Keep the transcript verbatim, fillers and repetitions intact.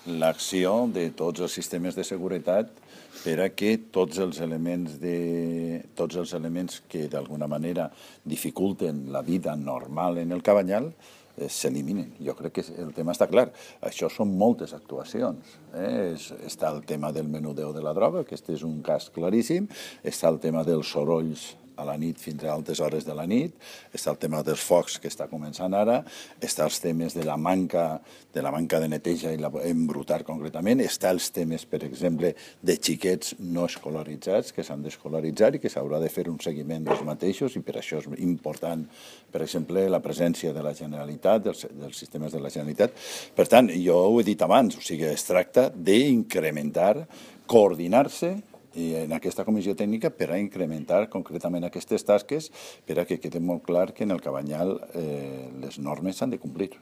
l'acció de tots els sistemes de seguretat per a que tots els elements, de, tots els elements que d'alguna manera dificulten la vida normal en el Cabanyal eh, s'eliminen. Jo crec que el tema està clar. Això són moltes actuacions. Eh? És, està el tema del menudeo de la droga, que este és un cas claríssim, està el tema dels sorolls a la nit fins a altes hores de la nit, està el tema dels focs que està començant ara, està els temes de la manca de la manca de neteja i la, embrutar concretament, està els temes, per exemple, de xiquets no escolaritzats que s'han d'escolaritzar i que s'haurà de fer un seguiment dels mateixos i per això és important, per exemple, la presència de la Generalitat, dels, dels sistemes de la Generalitat. Per tant, jo ho he dit abans, o sigui, es tracta d'incrementar, coordinar-se i en aquesta comissió tècnica per a incrementar concretament aquestes tasques per a que quede molt clar que en el Cabanyal eh, les normes s'han de complir.